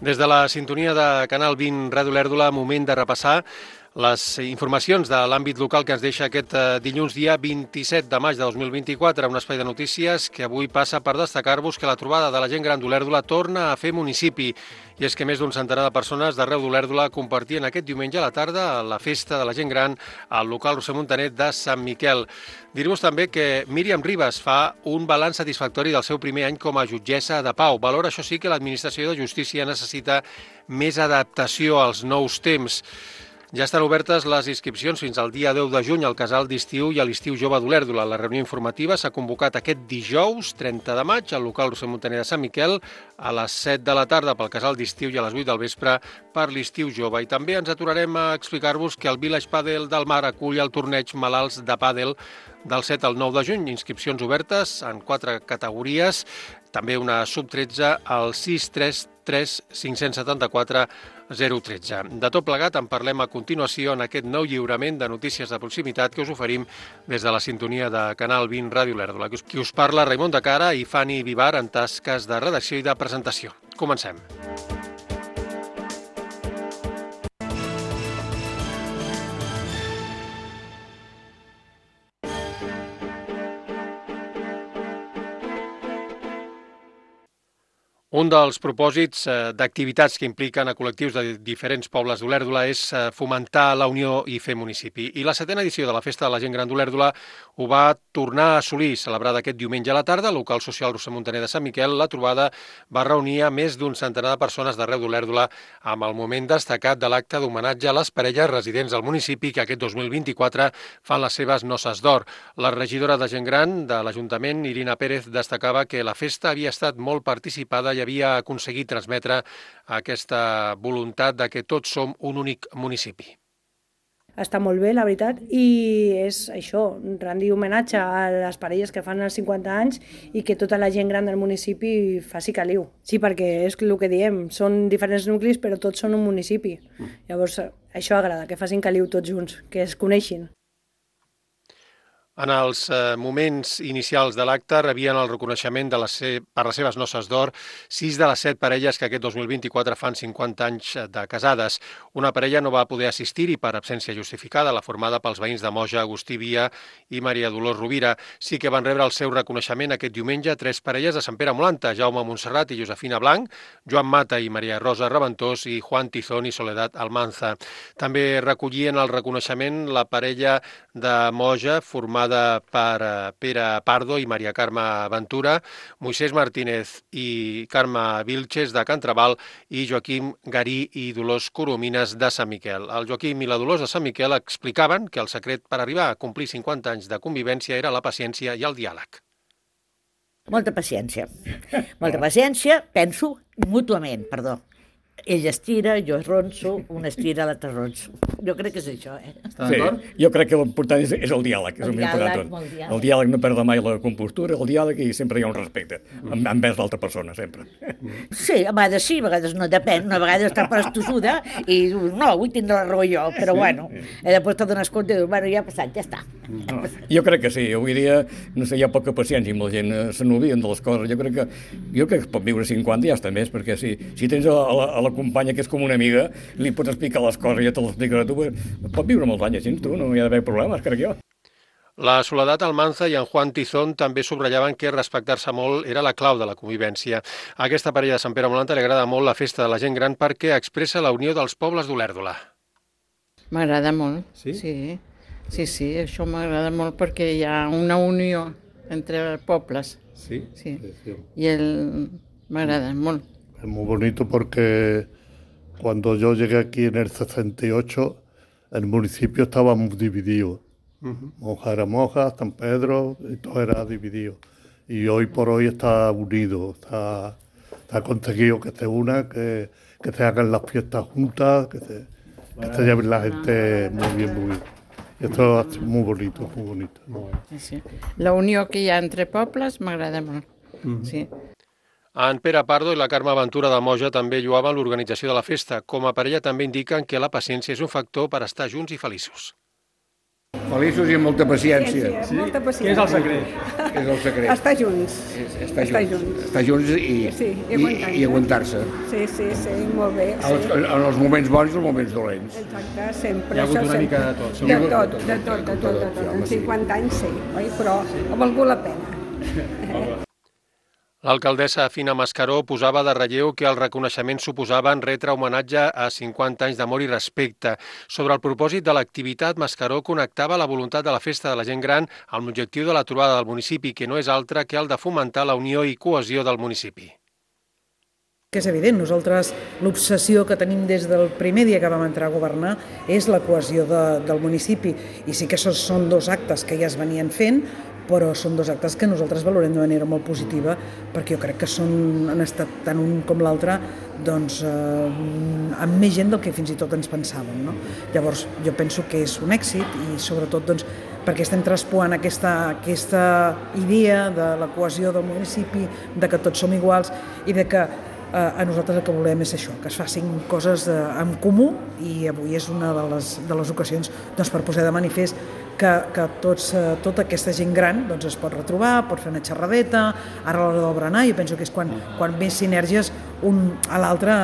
Des de la sintonia de Canal 20 Ràdio Lèrdula, moment de repassar les informacions de l'àmbit local que ens deixa aquest dilluns dia 27 de maig de 2024, un espai de notícies que avui passa per destacar-vos que la trobada de la gent gran d'Olèrdola torna a fer municipi. I és que més d'un centenar de persones d'arreu d'Olèrdola compartien aquest diumenge a la tarda la festa de la gent gran al local Roser Montanet de Sant Miquel. Dir-vos també que Míriam Ribas fa un balanç satisfactori del seu primer any com a jutgessa de pau. Valora, això sí, que l'Administració de Justícia necessita més adaptació als nous temps. Ja estan obertes les inscripcions fins al dia 10 de juny al casal d'estiu i a l'estiu jove d'Olèrdola. La reunió informativa s'ha convocat aquest dijous, 30 de maig, al local Roser Montaner de Sant Miquel, a les 7 de la tarda pel casal d'estiu i a les 8 del vespre per l'estiu jove. I també ens aturarem a explicar-vos que el Village Padel del Mar acull el torneig Malalts de Pàdel del 7 al 9 de juny. Inscripcions obertes en 4 categories, també una sub-13 al 633 574 013. De tot plegat en parlem a continuació en aquest nou lliurament de notícies de proximitat que us oferim des de la sintonia de Canal 20 Ràdio Lèrdula. Qui us parla, Raimon de Cara i Fanny Vivar, en tasques de redacció i de presentació. Comencem. Un dels propòsits d'activitats que impliquen a col·lectius de diferents pobles d'Olèrdola és fomentar la unió i fer municipi. I la 7a edició de la Festa de la Gent Gran d'Olèrdola ho va tornar a assolir, celebrada aquest diumenge a la tarda, al local social Roser Montaner de Sant Miquel. La trobada va reunir a més d'un centenar de persones d'arreu d'Olèrdola amb el moment destacat de l'acte d'homenatge a les parelles residents al municipi que aquest 2024 fan les seves noces d'or. La regidora de Gent Gran de l'Ajuntament, Irina Pérez, destacava que la festa havia estat molt participada i havia aconseguit transmetre aquesta voluntat de que tots som un únic municipi. Està molt bé, la veritat, i és això, rendir homenatge a les parelles que fan els 50 anys i que tota la gent gran del municipi faci caliu. Sí, perquè és el que diem, són diferents nuclis però tots són un municipi. Llavors això agrada, que facin caliu tots junts, que es coneixin. En els moments inicials de l'acte rebien el reconeixement per les seves noces d'or 6 de les 7 parelles que aquest 2024 fan 50 anys de casades. Una parella no va poder assistir-hi per absència justificada, la formada pels veïns de Moja, Agustí Via i Maria Dolors Rovira. Sí que van rebre el seu reconeixement aquest diumenge 3 parelles de Sant Pere Molanta, Jaume Montserrat i Josefina Blanc, Joan Mata i Maria Rosa Reventós i Juan Tizón i Soledad Almanza. També recollien el reconeixement la parella de Moja, formada per Pere Pardo i Maria Carme Ventura, Moisés Martínez i Carme Vilches de Cantraval i Joaquim Garí i Dolors Coromines de Sant Miquel. El Joaquim i la Dolors de Sant Miquel explicaven que el secret per arribar a complir 50 anys de convivència era la paciència i el diàleg. Molta paciència, penso mútuament, perdó. Ell estira, jo ronso, un estira, l'altre ronso. Jo crec que és això, Està d'acord? Sí, jo crec que l'important és el diàleg. El diàleg no perd mai la compostura, el diàleg, i sempre hi ha un respecte envers l'altra persona, sempre. Sí, a vegades sí, a vegades no, depèn. Una vegada està prestussuda i dius, no, avui tindré la raó jo, però bueno, després te dones compte i dius, bueno, ja ha passat, ja està. Jo crec que sí, avui dia, no sé, hi ha poca paciència amb la gent, se n'olviden de les coses. Jo crec que pot viure 50 i ja està més, perquè si tens a la companya que és com una amiga, li pots explicar les coses i ja te les explicarà tu, pot viure molts anys així, tu, no hi ha d'haver problemes, crec jo. La Soledad Almanza i en Juan Tizón també subratllaven que respectar-se molt era la clau de la convivència. A aquesta parella de Sant Pere Molanta li agrada molt la festa de la gent gran perquè expressa la unió dels pobles d'Olèrdola. M'agrada molt, sí? Sí, això m'agrada molt perquè hi ha una unió entre pobles. Sí? Sí. Y m'agrada molt. Es muy bonito porque cuando yo llegué aquí en el 68, el municipio estaba muy dividido. Moja era Moja, San Pedro, y todo era dividido. Y hoy por hoy está unido, está conseguido que se una, que se hagan las fiestas juntas, que se lleven la gente muy bien. Y esto es muy bonito, muy bonito. Sí. La unió que hi ha entre pobles m'agrada molt, sí. En Pere Pardo i la Carme Ventura de Moja també lloaven l'organització de la festa. Com a parella també indiquen que la paciència és un factor per estar junts i feliços. Feliços i amb molta paciència. Sí, molta paciència. Què és el secret? Què és el secret? Estar junts. Estar junts i aguantar-se. Sí, molt bé. En els moments bons i els moments dolents. Exacte, sempre. Hi ha hagut una mica de tot. De tot. En 50 anys sí, oi? Però ha valgut la pena. L'alcaldessa Fina Mascaró posava de relleu que el reconeixement suposava en retre homenatge a 50 anys d'amor i respecte. Sobre el propòsit de l'activitat, Mascaró connectava la voluntat de la Festa de la Gent Gran amb l'objectiu de la trobada del municipi, que no és altre que el de fomentar la unió i cohesió del municipi. Que és evident, nosaltres l'obsessió que tenim des del primer dia que vam entrar a governar és la cohesió del municipi, i sí que són dos actes que ja es venien fent, però són dos actes que nosaltres valorem de manera molt positiva, perquè jo crec que han estat tant un com l'altre amb més gent del que fins i tot ens pensàvem, no? Llavors jo penso que és un èxit, i sobretot perquè estem traspuant aquesta idea de la cohesió del municipi, de que tots som iguals, i de que a nosaltres el que volem és això, que es facin coses en comú, i avui és una de les ocasions per posar de manifest que tota aquesta gent gran es pot retrobar, pot fer una xerradeta, ara a l'hora del berenar jo penso que és quan més sinergies un a l'altre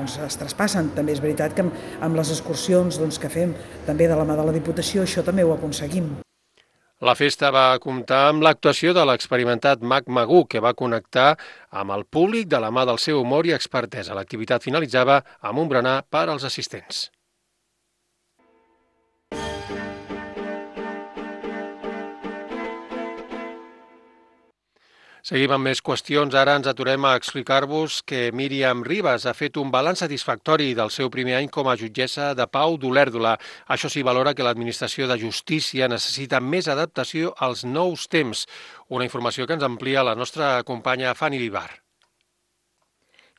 es traspassen. També és veritat que amb les excursions que fem també de la mà de la Diputació això també ho aconseguim. La festa va comptar amb l'actuació de l'experimentat Mag Magú, que va connectar amb el públic de la mà del seu humor i expertesa. L'activitat finalitzava amb un berenar per als assistents. Seguim amb més qüestions. Ara ens aturem a explicar-vos que Míriam Ribas ha fet un balanç satisfactori del seu primer any com a jutgessa de pau d'Olèrdola. Això sí, valora que l'Administració de Justícia necessita més adaptació als nous temps. Una informació que ens amplia la nostra companya Fanny Vivar.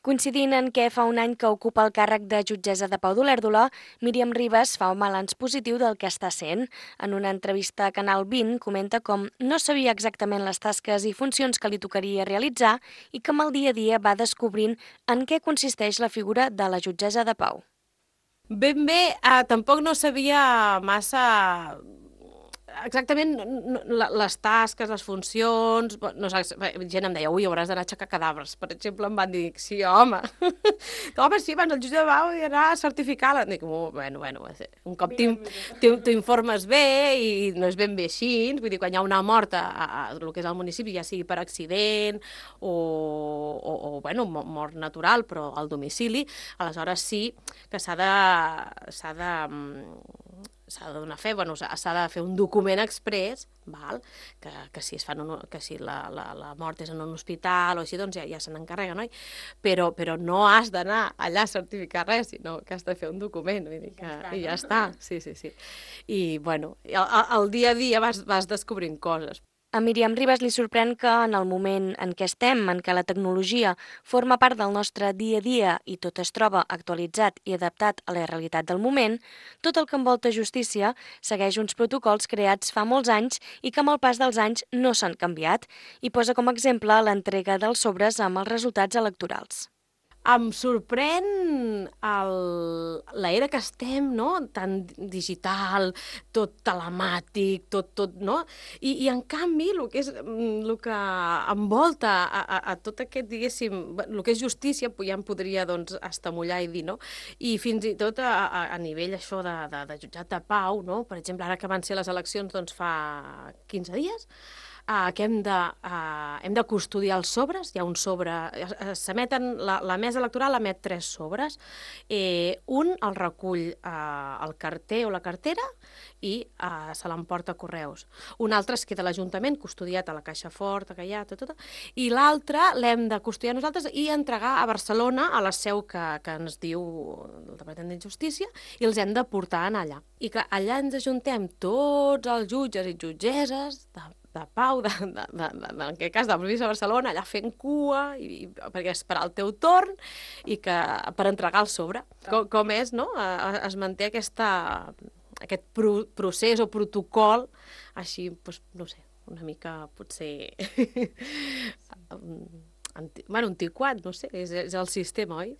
Coincidint en què fa un any que ocupa el càrrec de jutgessa de pau d'Olèrdola, Míriam Ribas fa un balanç positiu del que està sent. En una entrevista a Canal 20 comenta com no sabia exactament les tasques i funcions que li tocaria realitzar i que amb el dia a dia va descobrint en què consisteix la figura de la jutgessa de pau. Ben bé, tampoc no sabia massa exactament les tasques, les funcions. No sé, gent em deia, ui, hauràs d'anar a aixecar cadàvers. Per exemple, em van dir, sí, home. Home, sí, abans el jutge de pau i anar a certificar-la. Dic, bueno, un cop t'informes bé i no és ben bé així. Vull dir, quan hi ha una mort a el que és el municipi, ja sigui per accident o mort natural, però al domicili, aleshores sí que s'ha de donar fe, s'ha de fer un document exprés, que si la mort és en un hospital o així, doncs ja se n'encarrega, no? Però no has d'anar allà a certificar res, sinó que has de fer un document, vull dir i ja està, sí. I, al dia a dia vas descobrint coses. A Míriam Ribas li sorprèn que en el moment en què estem, en què la tecnologia forma part del nostre dia a dia i tot es troba actualitzat i adaptat a la realitat del moment, tot el que envolta justícia segueix uns protocols creats fa molts anys i que amb el pas dels anys no s'han canviat, i posa com a exemple l'entrega dels sobres amb els resultats electorals. Em sorprèn l'era que estem, no? Tan digital, tot telemàtic, tot, no? I en canvi, el que envolta a tot aquest, diguéssim, el que és justícia, ja em podria estamollar i dir, no? I fins i tot a nivell això de jutjat de pau, no? Per exemple, ara que van ser les eleccions fa 15 dies, que hem de custodiar els sobres. Hi ha un sobre, s'emeten, la mesa electoral emet 3 sobres, un el recull el carter o la cartera i se l'emporta a correus. Un altre es queda a l'Ajuntament, custodiat a la caixa forta que hi ha, i l'altre l'hem de custodiar nosaltres i entregar a Barcelona, a la seu que ens diu el Departament de Justícia, i els hem de portar allà. I clar, allà ens ajuntem tots els jutges i jutgesses de pau, en aquest cas de la província de Barcelona, allà fent cua, perquè esperar el teu torn i per entregar el sobre. Com és, no? Es manté aquest procés o protocol així, no sé, una mica potser antiquat, no sé, és el sistema, oi?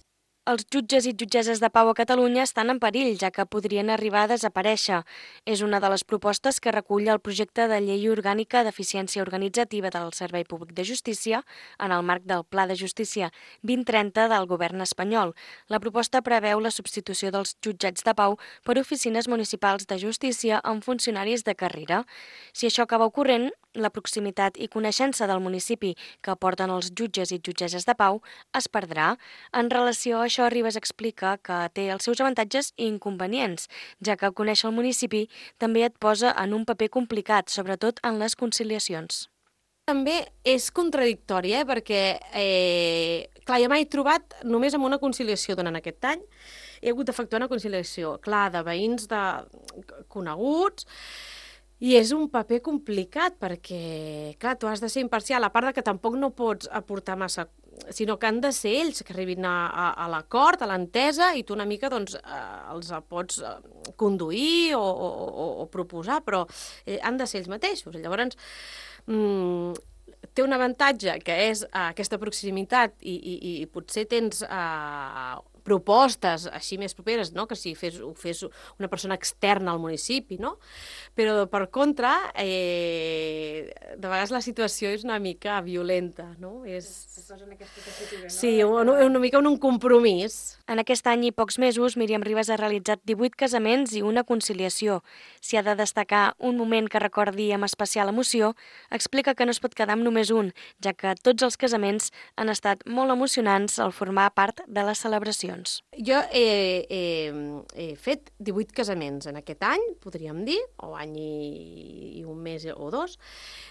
Els jutges i jutgesses de pau a Catalunya estan en perill, ja que podrien arribar a desaparèixer. És una de les propostes que recull el projecte de llei orgànica d'eficiència organitzativa del Servei Públic de Justícia en el marc del Pla de Justícia 2030 del govern espanyol. La proposta preveu la substitució dels jutjats de pau per oficines municipals de justícia amb funcionaris de carrera. Si això acaba ocorrent, la proximitat i coneixença del municipi que aporten els jutges i jutgesses de pau es perdrà. En relació a això, Ribas explica que té els seus avantatges i inconvenients, ja que conèixer el municipi també et posa en un paper complicat, sobretot en les conciliacions. També és contradictori, perquè clar, jo m'he trobat només amb una conciliació durant aquest any. He hagut d'efectuar una conciliació, clar, de veïns coneguts, i és un paper complicat perquè, clar, tu has de ser imparcial, a part que tampoc no pots aportar massa, sinó que han de ser ells que arribin a l'acord, a l'entesa, i tu una mica doncs, els pots conduir o proposar, però han de ser ells mateixos. Llavors, té un avantatge, que és aquesta proximitat, i potser tens propostes així més properes, no? Que si ho fes una persona externa al municipi, no? Però, per contra, de vegades la situació és una mica violenta, no? Sí, una mica un compromís. En aquest any i pocs mesos, Míriam Ribas ha realitzat 18 casaments i una conciliació. Si ha de destacar un moment que recordi amb especial emoció, explica que no es pot quedar amb només un, ja que tots els casaments han estat molt emocionants al formar part de les celebracions. Jo he fet 18 casaments en aquest any, podríem dir, o any i un mes o dos.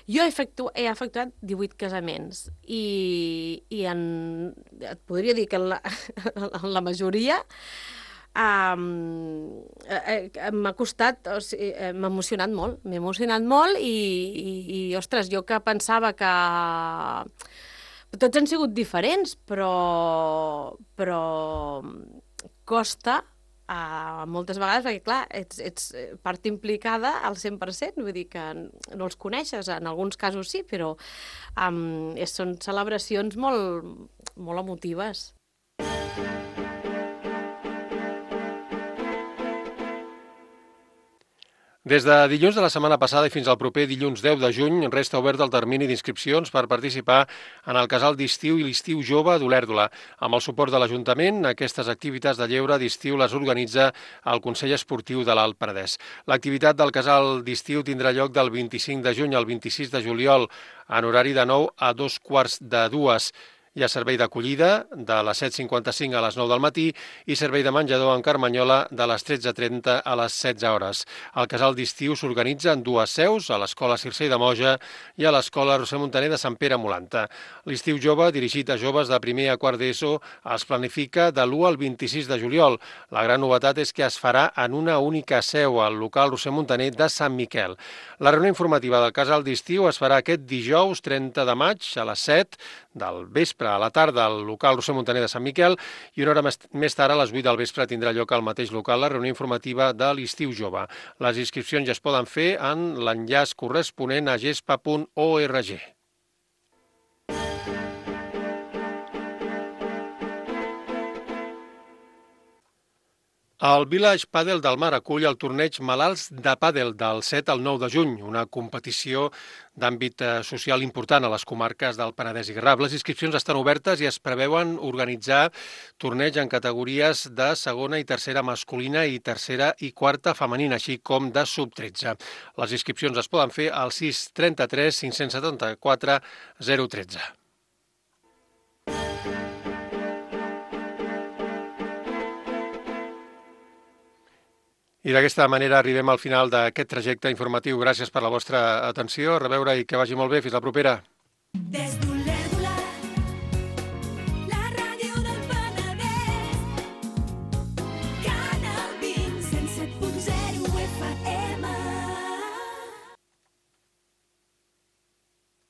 Jo he efectuat 18 casaments i et podria dir que en la majoria m'ha costat, m'ha emocionat molt. M'he emocionat molt i, ostres, jo que pensava que tots han sigut diferents, però costa moltes vegades, perquè clar, ets part implicada al 100%, vull dir que no els coneixes, en alguns casos sí, però són celebracions molt emotives. Des de dilluns de la setmana passada i fins al proper dilluns 10 de juny resta obert el termini d'inscripcions per participar en el casal d'estiu i l'estiu jove d'Olèrdola. Amb el suport de l'Ajuntament, aquestes activitats de lleure d'estiu les organitza el Consell Esportiu de l'Alt Penedès. L'activitat del casal d'estiu tindrà lloc del 25 de juny al 26 de juliol en horari de 9 a 2:45. Hi ha servei d'acollida de les 7:55 a les 9 del matí i servei de menjador en Carmanyola de les 13:30 a les 16 hores. El casal d'estiu s'organitza en dues seus, a l'Escola Circei de Moja i a l'Escola Roser Montaner de Sant Pere Molanta. L'estiu jove, dirigit a joves de primer a quart d'ESO, es planifica de l'1 al 26 de juliol. La gran novetat és que es farà en una única seu, al local Roser Montaner de Sant Miquel. La reunió informativa del casal d'estiu es farà aquest dijous 30 de maig a les 7 del vespre a la tarda al local Roser Montaner de Sant Miquel i una hora més tard a les 8 del vespre tindrà lloc al mateix local la reunió informativa de l'estiu jove. Les inscripcions ja es poden fer en l'enllaç corresponent a gespa.org. El Village Padel del Mar acull el torneig Malalts de Pàdel del 7 al 9 de juny, una competició d'àmbit social important a les comarques del Penedès i Garraf. Les inscripcions estan obertes i es preveuen organitzar torneig en categories de segona i tercera masculina i tercera i quarta femenina, així com de sub-13. Les inscripcions es poden fer al 633 574 013. I d'aquesta manera arribem al final d'aquest trajecte informatiu. Gràcies per la vostra atenció. A reveure i que vagi molt bé. Fins la propera.